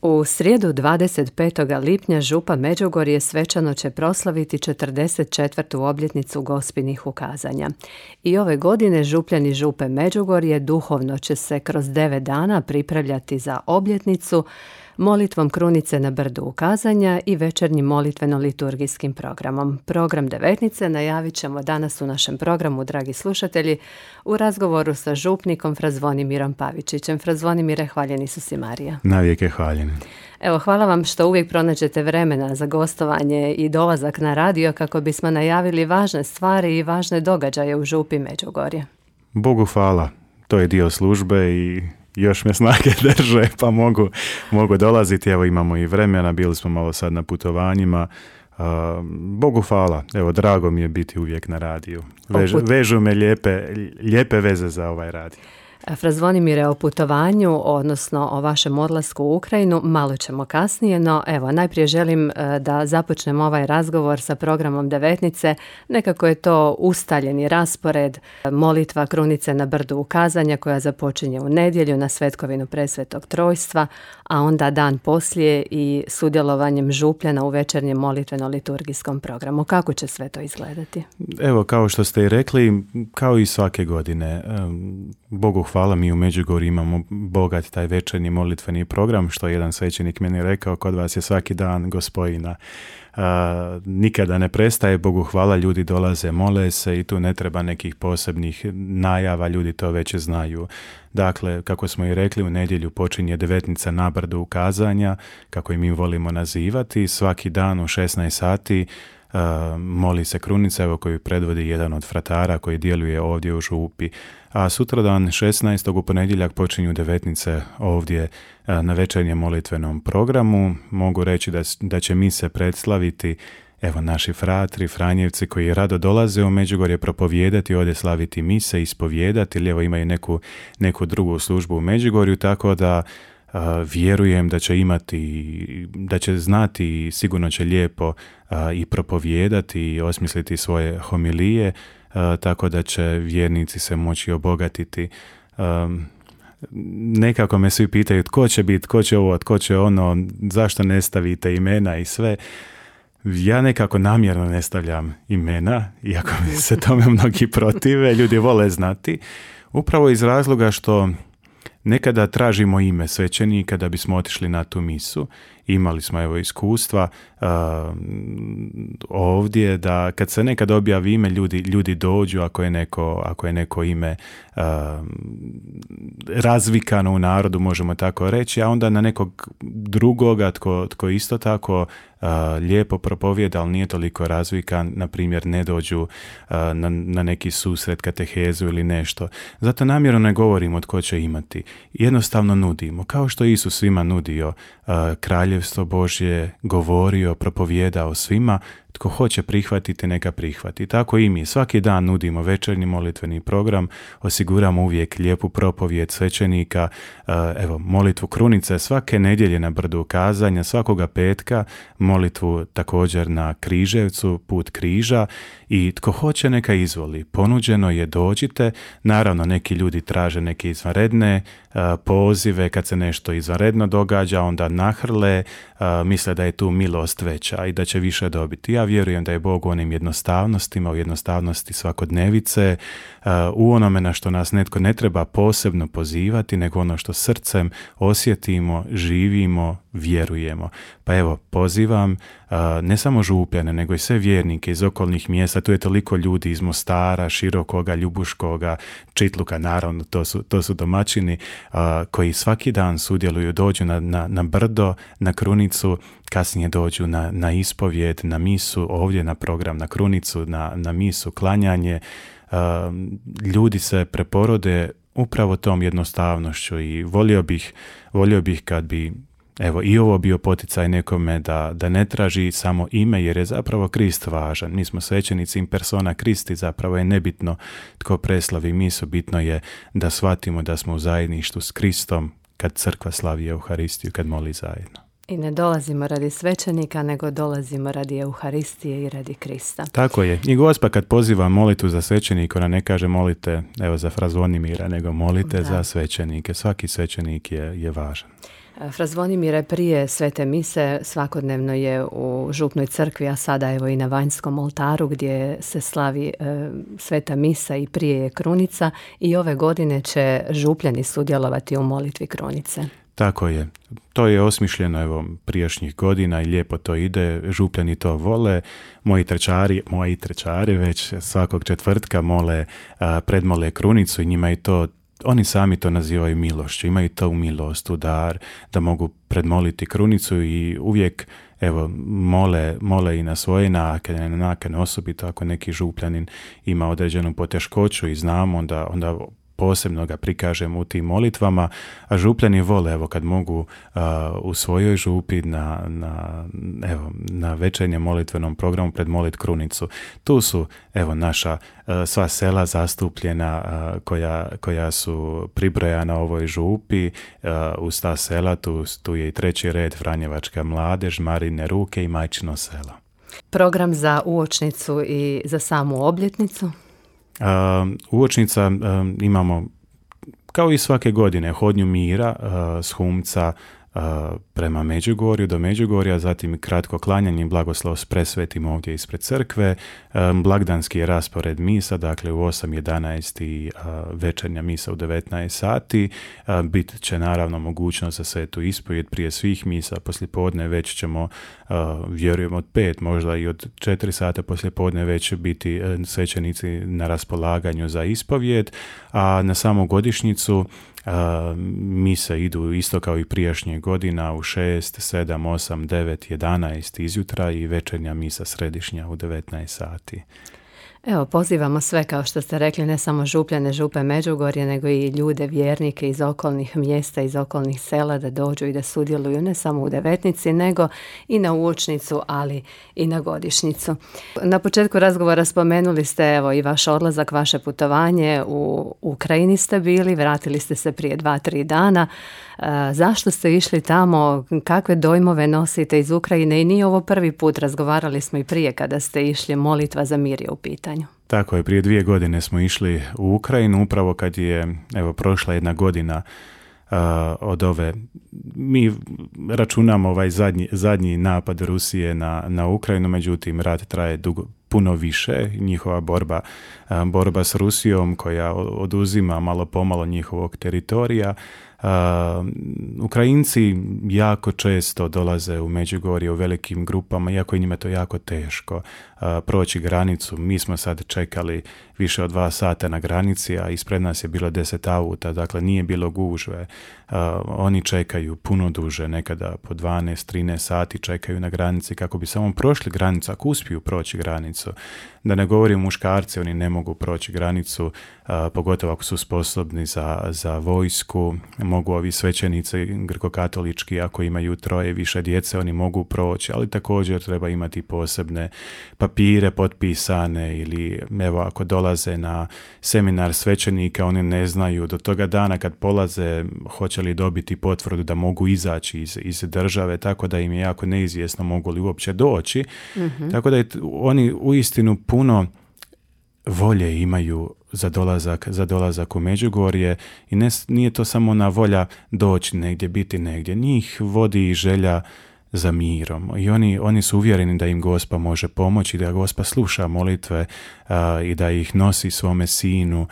U srijedu 25. lipnja župa Međugorje svečano će proslaviti 44. obljetnicu Gospinih ukazanja. I ove godine župljani župe Međugorje duhovno će se kroz 9 dana pripravljati za obljetnicu molitvom krunice na brdu ukazanja i večernjim molitveno-liturgijskim programom. Program devetnice najavit ćemo danas u našem programu, dragi slušatelji, u razgovoru sa župnikom Fra Zvonimirom Pavičićem. Fra Zvonimire, hvaljeni su si Marija. Navijek je hvaljeni. Evo, hvala vam što uvijek pronađete vremena za gostovanje i dolazak na radio kako bismo najavili važne stvari i važne događaje u župi Međugorje. Bogu hvala, to je dio službe i još me snage drže, pa mogu dolaziti. Evo, imamo i vremena, bili smo malo sad na putovanjima. Bogu hvala, evo, drago mi je biti uvijek na radiju. Vežu me lijepe veze za ovaj radio. Fra Zvonimire, o putovanju, odnosno o vašem odlasku u Ukrajinu, malo ćemo kasnije, no evo, najprije želim da započnem ovaj razgovor sa programom devetnice. Nekako je to ustaljeni raspored, molitva krunice na brdu ukazanja koja započinje u nedjelju na svetkovinu Presvetog Trojstva, a onda dan poslije i sudjelovanjem župljana u večernjem molitveno-liturgijskom programu. Kako će sve to izgledati? Evo, kao što ste i rekli, kao i svake godine, Bogu hvala, mi u Međugorju imamo bogat taj večernji molitveni program, što je jedan svećenik meni rekao, kod vas je svaki dan Gospojina. Nikada ne prestaje, Bogu hvala, ljudi dolaze, mole se i tu ne treba nekih posebnih najava, ljudi to već znaju. Dakle, kako smo i rekli, u nedjelju počinje devetnica na brdu ukazanja, kako i mi volimo nazivati, svaki dan u 16 sati moli se krunica, evo, koju predvodi jedan od fratara koji djeluje ovdje u župi. A sutradan 16. u ponedjeljak počinju devetnice ovdje na večernjem molitvenom programu. Mogu reći da će mise predslaviti, evo, naši fratri, franjevci koji rado dolaze u Međugorje propovijedati, ovdje slaviti mise, ispovijedati, ili evo imaju neku drugu službu u Međugorju, tako da vjerujem da će imati, da će znati i sigurno će lijepo i propovijedati i osmisliti svoje homilije, tako da će vjernici se moći obogatiti. Nekako me svi pitaju tko će biti, tko će ovo, tko će ono, zašto ne stavite imena i sve. Ja nekako namjerno ne stavljam imena, iako mi se tome mnogi protive, ljudi vole znati, upravo iz razloga što nekada tražimo ime svećenika da bismo otišli na tu misu. Imali smo, evo, iskustva ovdje da kad se nekad objavi ime, ljudi dođu ako je neko ime razvikano u narodu, možemo tako reći, a onda na nekog drugoga tko isto tako lijepo propovijeda, ali nije toliko razvikan, na primjer ne dođu na neki susret, katehezu ili nešto. Zato namjerno ne govorimo tko će imati. Jednostavno nudimo, kao što Isus svima nudio kraljevstvo Božje, govorio, propovijedao svima. Tko hoće prihvatiti, neka prihvati. Tako i mi svaki dan nudimo večernji molitveni program, osiguramo uvijek lijepu propovijed svećenika, evo, molitvu krunice svake nedjelje na brdu ukazanja, svakoga petka, molitvu također na Križevcu, put križa, i tko hoće neka izvoli. Ponuđeno je, dođite. Naravno, neki ljudi traže neke izvanredne pozive, kad se nešto izvanredno događa, onda nahrle, misle da je tu milost veća i da će više dobiti. Ja vjerujem da je Bog u onim jednostavnostima, u jednostavnosti svakodnevice, u onome na što nas netko ne treba posebno pozivati, nego ono što srcem osjetimo, živimo, vjerujemo. Pa evo, pozivam ne samo župljane, nego i sve vjernike iz okolnih mjesta. Tu je toliko ljudi iz Mostara, Širokoga, Ljubuškoga, Čitluka, naravno, to su domaćini koji svaki dan sudjeluju, dođu na brdo, na krunicu, kasnije dođu na ispovjed, na misu, ovdje na program, na krunicu, na misu, klanjanje. Ljudi se preporode upravo tom jednostavnošću i volio bih kad bi, evo, i ovo bio poticaj nekome da ne traži samo ime, jer je zapravo Krist važan. Mi smo svećenici in persona Kristi, zapravo je nebitno tko preslavi misu, bitno je da shvatimo da smo u zajedništvu s Kristom kad crkva slavi Euharistiju, kad moli zajedno. I ne dolazimo radi svećenika, nego dolazimo radi Euharistije i radi Krista. Tako je. I Gospa kad poziva molitvu za svećenika, ona ne kaže molite, evo, za Fra Zvonimira, nego molite za svećenike. Svaki svećenik je važan. Fra Zvonimire, prije svete mise svakodnevno je u župnoj crkvi, a sada evo i na vanjskom oltaru gdje se slavi sveta misa i prije je krunica, i ove godine će župljani sudjelovati u molitvi krunice. Tako je. To je osmišljeno prijašnjih godina i lijepo to ide. Župljani to vole. Moji trečari već svakog četvrtka predmole krunicu i njima je to, oni sami to nazivaju milošću. Imaju to u milost, u dar, da mogu predmoliti krunicu i uvijek mole i na svoje nakane, osobito ako neki župljanin ima određenu poteškoću i znamo, onda posebno ga prikažemo u tim molitvama, a župljani vole kad mogu u svojoj župi na večernjem molitvenom programu predmolit krunicu. Tu su naša sva sela zastupljena koja su pribrojana ovoj župi. Uz ta sela tu je i treći red Franjevačka mladež, Marine ruke i Majčino selo. Program za uočnicu i za samu obljetnicu? Uočnica imamo kao i svake godine hodnju mira s Humca prema Međugorju do Međugorja, zatim kratko klanjanje i blagoslov s presvetim ovdje ispred crkve, blagdanski je raspored misa, dakle u 8:11 i večernja misa u 19 sati, bit će naravno mogućnost za svetu ispovjed prije svih misa, poslijepodne već ćemo, vjerujem od 5, možda i od 4 sata poslijepodne već će biti svećenici na raspolaganju za ispovjed, a na samu godišnjicu mise idu isto kao i prijašnje godina u 6, 7, 8, 9, 11 izjutra i večernja misa središnja u 19 sati. Evo, pozivamo sve, kao što ste rekli, ne samo župljane župe Međugorje, nego i ljude, vjernike iz okolnih mjesta, iz okolnih sela da dođu i da sudjeluju ne samo u devetnici, nego i na uočnicu, ali i na godišnjicu. Na početku razgovora spomenuli ste evo i vaš odlazak, vaše putovanje. U Ukrajini ste bili, vratili ste se prije 2-3 dana. Zašto ste išli tamo? Kakve dojmove nosite iz Ukrajine? I nije ovo prvi put, razgovarali smo i prije kada ste išli, molitva za mir je u pitanju. Tako je, prije 2 godine smo išli u Ukrajinu, upravo kad je prošla 1 godina od ove, mi računamo ovaj zadnji napad Rusije na Ukrajinu, međutim rat traje puno više, njihova borba s Rusijom koja oduzima malo pomalo njihovog teritorija. Ukrajinci jako često dolaze u Međugorje u velikim grupama, iako je njima to jako teško proći granicu. Mi smo sad čekali više od 2 sata na granici, a ispred nas je bilo 10 auta, dakle nije bilo gužve. Oni čekaju puno duže, nekada po 12-13 sati čekaju na granici kako bi samo prošli granicu, ako uspiju proći granicu. Da ne govorim muškarci, oni ne mogu proći granicu, pogotovo ako su sposobni za vojsku. Mogu ovi svećenici grkokatolički, ako imaju 3 više djece, oni mogu proći, ali također treba imati posebne papire potpisane, ili ako dolaze na seminar svećenika, oni ne znaju do toga dana kad polaze hoće li dobiti potvrdu da mogu izaći iz države, tako da im je jako neizvjesno mogu li uopće doći. Mm-hmm. Tako da oni uistinu puno volje imaju za dolazak u Međugorje i nije to samo ona volja doći negdje, biti negdje. Njih vodi i želja za mirom i oni su uvjereni da im Gospa može pomoći, da Gospa sluša molitve i da ih nosi svome sinu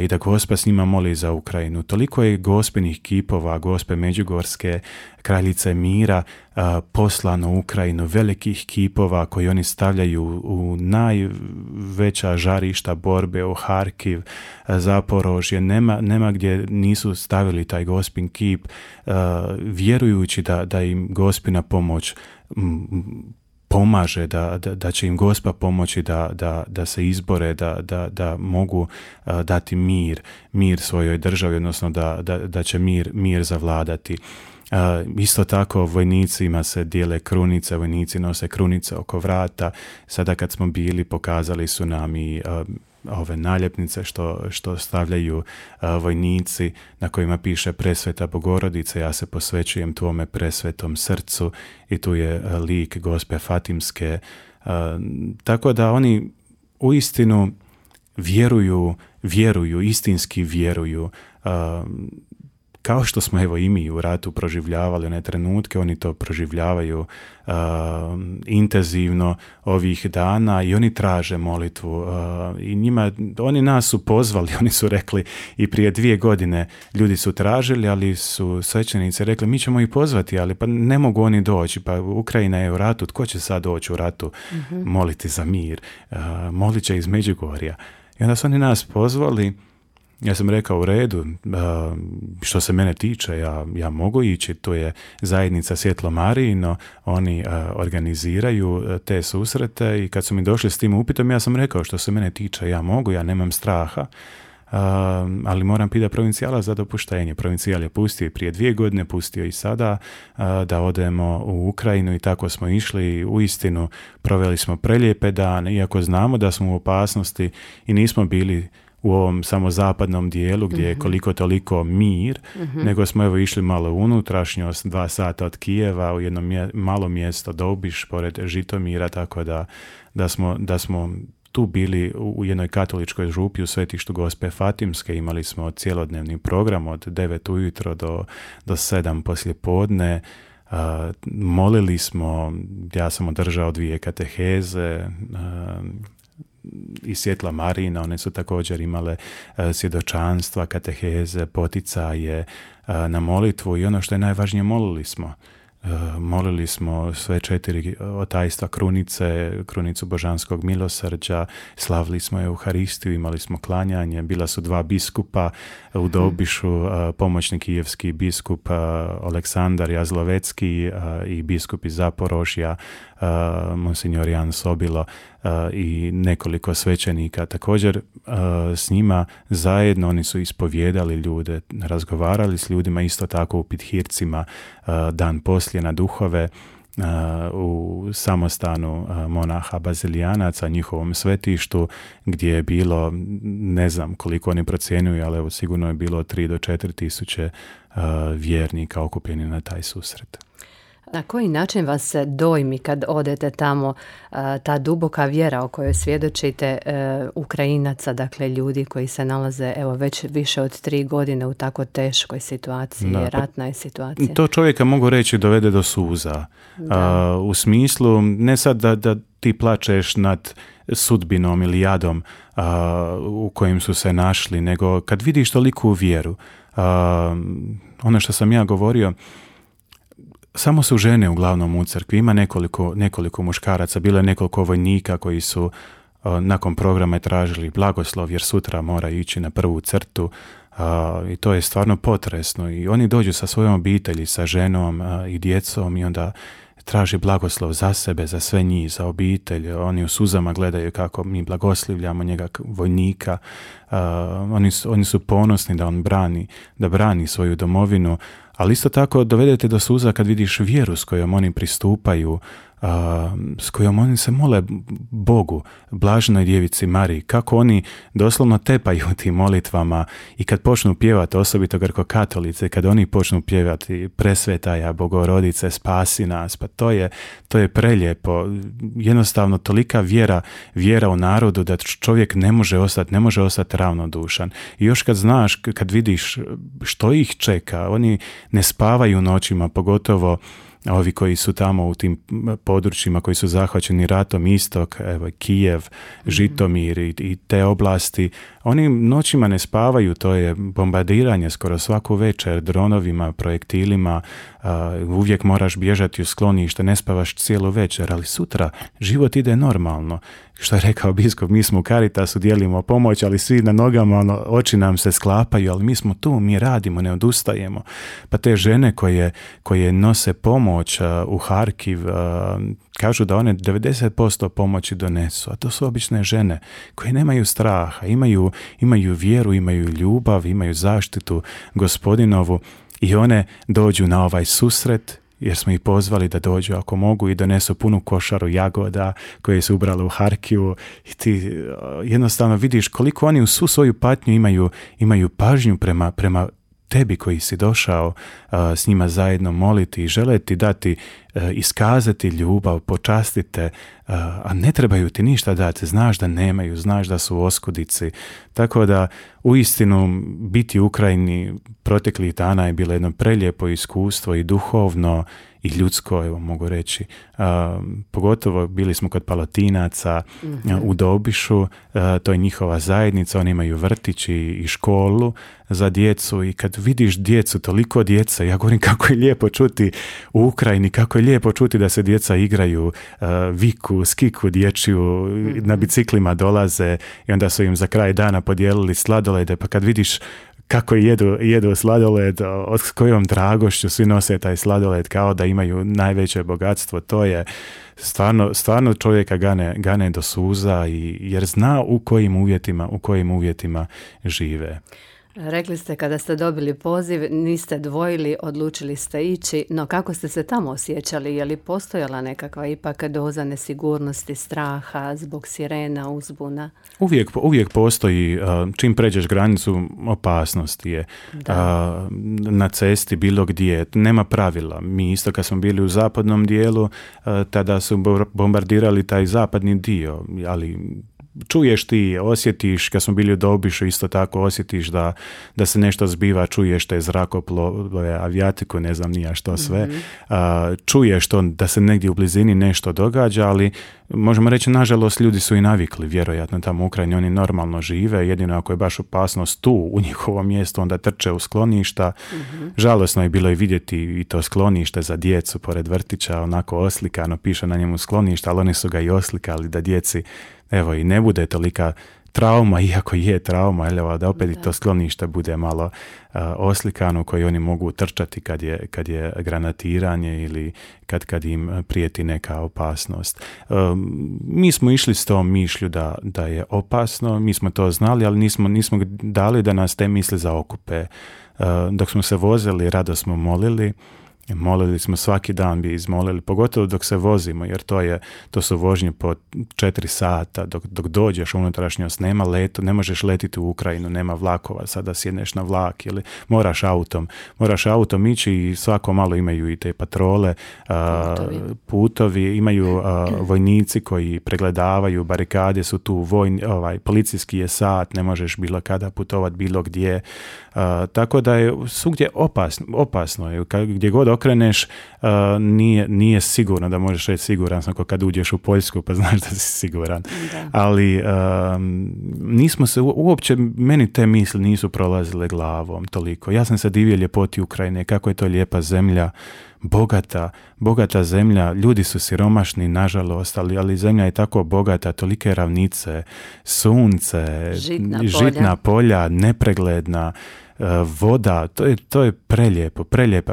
i da Gospa s njima moli za Ukrajinu. Toliko je Gospinih kipova, Gospe Međugorske, kraljice mira, poslano u Ukrajinu, velikih kipova koji oni stavljaju u najveća žarišta borbe, u Harkiv, Zaporožje, nema gdje nisu stavili taj Gospin kip, vjerujući da im Gospina pomoć pomaže, da će im Gospa pomoći da se izbore, da mogu dati mir svojoj državi, odnosno da će mir zavladati. Isto tako vojnicima se dijele krunice, vojnici nose krunice oko vrata. Sada kad smo bili, pokazali su nam i ove naljepnice što stavljaju vojnici, na kojima piše Presveta Bogorodice, ja se posvećujem tvome presvetom srcu, i tu je lik Gospe Fatimske. Tako da oni uistinu vjeruju, istinski vjeruju. kao što smo evo i mi u ratu proživljavali one trenutke, oni to proživljavaju intenzivno ovih dana i oni traže molitvu i oni nas su pozvali, oni su rekli i prije 2 godine ljudi su tražili, ali su svećenici rekli mi ćemo ih pozvati, ali pa ne mogu oni doći, pa Ukrajina je u ratu, tko će sad doći u ratu moliti za mir, molit će iz Međugorja. I onda su oni nas pozvali. Ja sam rekao u redu, što se mene tiče, ja mogu ići, to je zajednica Svjetlo Marijino, oni organiziraju te susrete i kad su mi došli s tim upitom, ja sam rekao što se mene tiče, ja mogu, ja nemam straha, ali moram pitati provincijala za dopuštenje. Provincijal je pustio i prije 2 godine, pustio i sada da odemo u Ukrajinu i tako smo išli. Uistinu proveli smo prelijepe dane, iako znamo da smo u opasnosti i nismo bili u ovom samo zapadnom dijelu gdje je koliko toliko mir, nego smo evo išli malo u unutrašnjost, 2 sata od Kijeva u jedno malo mjesto Dobiš pored Žitomira, tako da smo tu bili u jednoj katoličkoj župi u Svetištu Gospe Fatimske. Imali smo cijelodnevni program od 9 ujutro do 7 poslije podne. Molili smo, ja sam održao 2 kateheze i Svjetla Marijina, one su također imale svjedočanstva, kateheze, poticaje na molitvu i ono što je najvažnije, molili smo sve 4 otajstva krunice, krunicu Božanskog milosrđa, slavili smo Euharistiju, imali smo klanjanje, bila su 2 biskupa u Dobišu, pomoćni kijevski biskup Aleksandar Jazlovecki i biskup iz Zaporožja, monsignor Jan Sobilo i nekoliko svećenika. Također s njima zajedno oni su ispovijedali ljude, razgovarali s ljudima, isto tako u Pithircima dan poslije na duhove u samostanu monaha bazilijanaca, njihovom svetištu, gdje je bilo, ne znam koliko oni procjenjuju, ali evo sigurno je bilo 3 do 4 tisuće vjernika okupljeni na taj susret. Na koji način vas se dojmi kad odete tamo, ta duboka vjera o kojoj svjedočite Ukrajinaca, dakle ljudi koji se nalaze evo već više od 3 godine u tako teškoj situaciji, ratna je situacija? To čovjeka, mogu reći, dovede do suza. U smislu, ne sad da ti plačeš nad sudbinom ili jadom u kojim su se našli, nego kad vidiš toliku vjeru. Ono što sam ja govorio, samo su žene uglavnom u crkvi, ima nekoliko muškaraca, bilo je nekoliko vojnika koji su nakon programa tražili blagoslov jer sutra mora ići na prvu crtu i to je stvarno potresno i oni dođu sa svojom obitelji, sa ženom i djecom i onda traži blagoslov za sebe, za sve njih, za obitelj. Oni u suzama gledaju kako mi blagoslivljamo njega vojnika. Oni su ponosni da on brani svoju domovinu, ali isto tako dovedete do suza kad vidiš vjeru s kojom oni pristupaju, s kojom oni se mole Bogu, blaženoj djevici Mariji, kako oni doslovno tepaju tim molitvama i kad počnu pjevati, osobito grkokatolice, kad oni počnu pjevati Presvetaja Bogorodice, spasi nas, pa to je prelijepo. Jednostavno tolika vjera u narodu da čovjek ne može ostati ravnodušan. I još kad znaš, kad vidiš što ih čeka, oni ne spavaju noćima, pogotovo ovi koji su tamo u tim područjima koji su zahvaćeni ratom, istok, evo, Kijev, Žitomir i te oblasti, oni noćima ne spavaju, to je bombardiranje skoro svaku večer dronovima, projektilima, uvijek moraš bježati u sklonište, ne spavaš cijelu večer, ali sutra život ide normalno. Što je rekao biskup, mi smo u Caritasu, dijelimo pomoć, ali svi na nogama, oči nam se sklapaju, ali mi smo tu, mi radimo, ne odustajemo. Pa te žene koje nose pomoć u Harkiv, kažu da one 90% pomoći donesu, a to su obične žene koje nemaju straha, imaju vjeru, imaju ljubav, imaju zaštitu Gospodinovu i one dođu na ovaj susret jer smo ih pozvali da dođu ako mogu i donesu punu košaru jagoda koje su ubrali u Harkivu i ti jednostavno vidiš koliko oni u svu svoju patnju imaju pažnju prema tebi koji si došao s njima zajedno moliti i žele ti dati iskazati ljubav, počastite, a ne trebaju ti ništa dati, znaš da nemaju, znaš da su oskudici. Tako da uistinu biti u Ukrajini proteklih dana je bilo jedno prelijepo iskustvo i duhovno i ljudsko, evo mogu reći. Pogotovo bili smo kod Palotinaca u Dobišu, to je njihova zajednica, oni imaju vrtić i školu za djecu i kad vidiš djecu, toliko djece, ja govorim kako je lijepo čuti u Ukrajini, kako je lijepo čuti da se djeca igraju, viku, skiku dječju, na biciklima dolaze i onda su im za kraj dana podijelili sladolede, pa kad vidiš kako jedu sladoled, s kojom dragošću svi nose taj sladoled kao da imaju najveće bogatstvo, to je stvarno čovjeka gane do suza jer zna u kojim uvjetima žive. Rekli ste kada ste dobili poziv, niste dvojili, odlučili ste ići, no kako ste se tamo osjećali? Je li postojala nekakva ipak doza nesigurnosti, straha zbog sirena, uzbuna? Uvijek postoji, čim pređeš granicu, opasnost je. Na cesti, bilo gdje, nema pravila. Mi isto kad smo bili u zapadnom dijelu, tada su bombardirali taj zapadni dio, ali čuješ ti, osjetiš, kad smo bili u Dobišu isto tako osjetiš da se nešto zbiva, čuješ te zrakoplove, avijatiku, ne znam nija što sve, čuješ to da se negdje u blizini nešto događa, ali možemo reći, nažalost, ljudi su i navikli, vjerojatno tamo u Ukrajini, oni normalno žive, jedino ako je baš opasnost tu u njihovom mjestu, onda trče u skloništa. Žalosno je bilo i vidjeti i to sklonište za djecu pored vrtića, onako oslikano, piše na njemu skloništa, ali oni su ga i oslikali da djeci, evo, i ne bude tolika trauma, iako je trauma, ali da opet i to sklonište bude malo oslikano, koji oni mogu trčati kad je granatiranje ili kad im prijeti neka opasnost. Mi smo išli s tom mišlju da je opasno, mi smo to znali, ali nismo dali da nas te misli zaokupe. Dok smo se vozili, rado smo molili smo, svaki dan bi izmolili, pogotovo dok se vozimo, jer to su vožnje po 4 sata, dok dođeš u unutrašnjost, nema leto, ne možeš letiti u Ukrajinu, nema vlakova, sada sjedneš na vlak ili moraš autom ići i svako malo imaju i te patrole, putovi, imaju vojnici koji pregledavaju, barikade su tu, policijski je sat, ne možeš bilo kada putovati bilo gdje, tako da je svugdje opasno je, gdje god okreneš, nije sigurno da možeš reći siguran sam, kad uđeš u Poljsku pa znaš da si siguran. Da. Ali nismo se uopće, meni te misli nisu prolazile glavom toliko. Ja sam se divio ljepoti Ukrajine, kako je to lijepa zemlja, bogata zemlja, ljudi su siromašni, nažalost, ali zemlja je tako bogata, tolike ravnice, sunce, žitna polja, nepregledna, voda, to je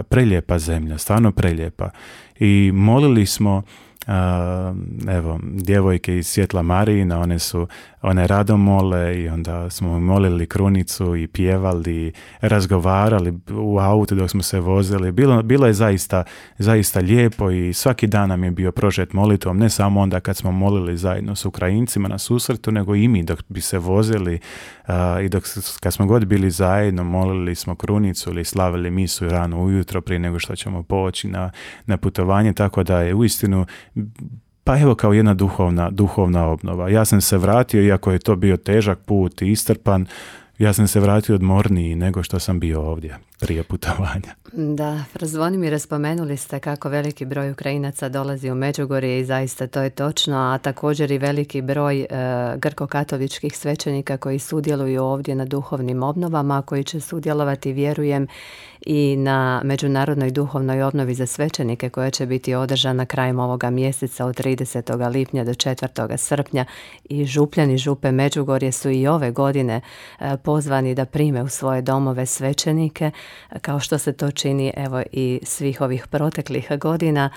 prelijepa zemlja, stvarno prelijepa. I molili smo, evo, djevojke iz Svjetla Marijina, one rado mole i onda smo molili krunicu i pjevali, razgovarali u autu dok smo se vozili. Bilo je zaista lijepo i svaki dan nam je bio prožet molitvom, ne samo onda kad smo molili zajedno s Ukrajincima na susretu, nego i mi dok bi se vozili i kad smo god bili zajedno, molili smo krunicu ili slavili misu rano ujutro prije nego što ćemo poći na putovanje, tako da je uistinu, pa evo, kao jedna duhovna obnova. Ja sam se vratio, iako je to bio težak put i istrpan, ja sam se vratio odmorniji nego što sam bio ovdje prije putovanja. Da, Zvonimire, spomenuli ste kako veliki broj Ukrajinaca dolazi u Međugorje i zaista to je točno, a također i veliki broj grko-katoličkih svećenika koji sudjeluju ovdje na duhovnim obnovama, koji će sudjelovati, vjerujem, i na međunarodnoj duhovnoj obnovi za svećenike koja će biti održana krajem ovoga mjeseca od 30. lipnja do 4. srpnja i župljani Župe Međugorje su i ove godine pozvani da prime u svoje domove svećenike, kao što se to čini evo i svih ovih proteklih godina.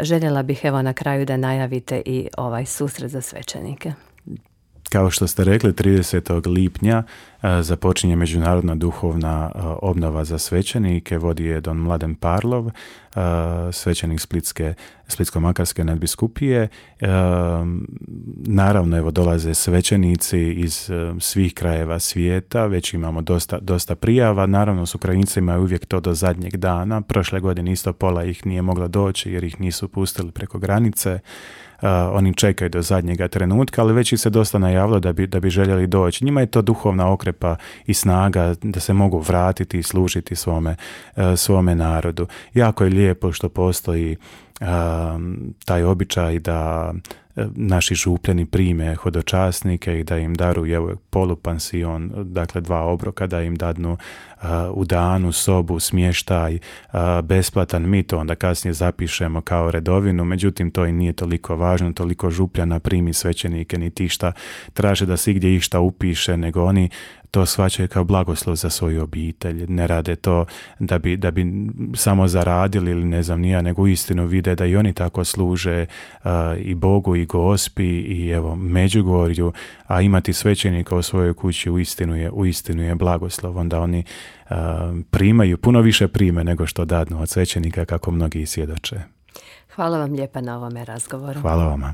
Željela bih evo na kraju da najavite i ovaj susret za svećenike. Kao što ste rekli, 30. lipnja započinje međunarodna duhovna obnova za svećenike, vodi je don Mladen Parlov, svećenik Splitsko-makarske nadbiskupije. Naravno, evo, dolaze svećenici iz svih krajeva svijeta, već imamo dosta prijava. Naravno, s Ukrajincima je uvijek to do zadnjeg dana. Prošle godine isto pola ih nije moglo doći jer ih nisu pustili preko granice. Oni čekaju do zadnjega trenutka, ali već ih se dosta najavilo da bi željeli doći. Njima je to duhovna okrepa i snaga da se mogu vratiti i služiti svome narodu. Jako je lijepo što postoji taj običaj da naši župljani prime hodočasnike i da im daruju polupansion, dakle 2 obroka, da im dadnu u danu sobu, smještaj, besplatan. Mi to onda kasnije zapišemo kao redovinu, međutim to i nije toliko važno, toliko župljana primi svećenike, niti šta traže da se igdje išta upiše, nego oni to shvaćaju kao blagoslov za svoju obitelj. Ne rade to da bi samo zaradili ili ne znam nija, nego uistinu vide da i oni tako služe i Bogu i Gospi i evo Međugorju, a imati svećenika u svojoj kući uistinu je blagoslov. Onda oni primaju, puno više prime nego što dadnu od svećenika, kako mnogi svjedoče. Hvala vam lijepa na ovome razgovoru. Hvala vama.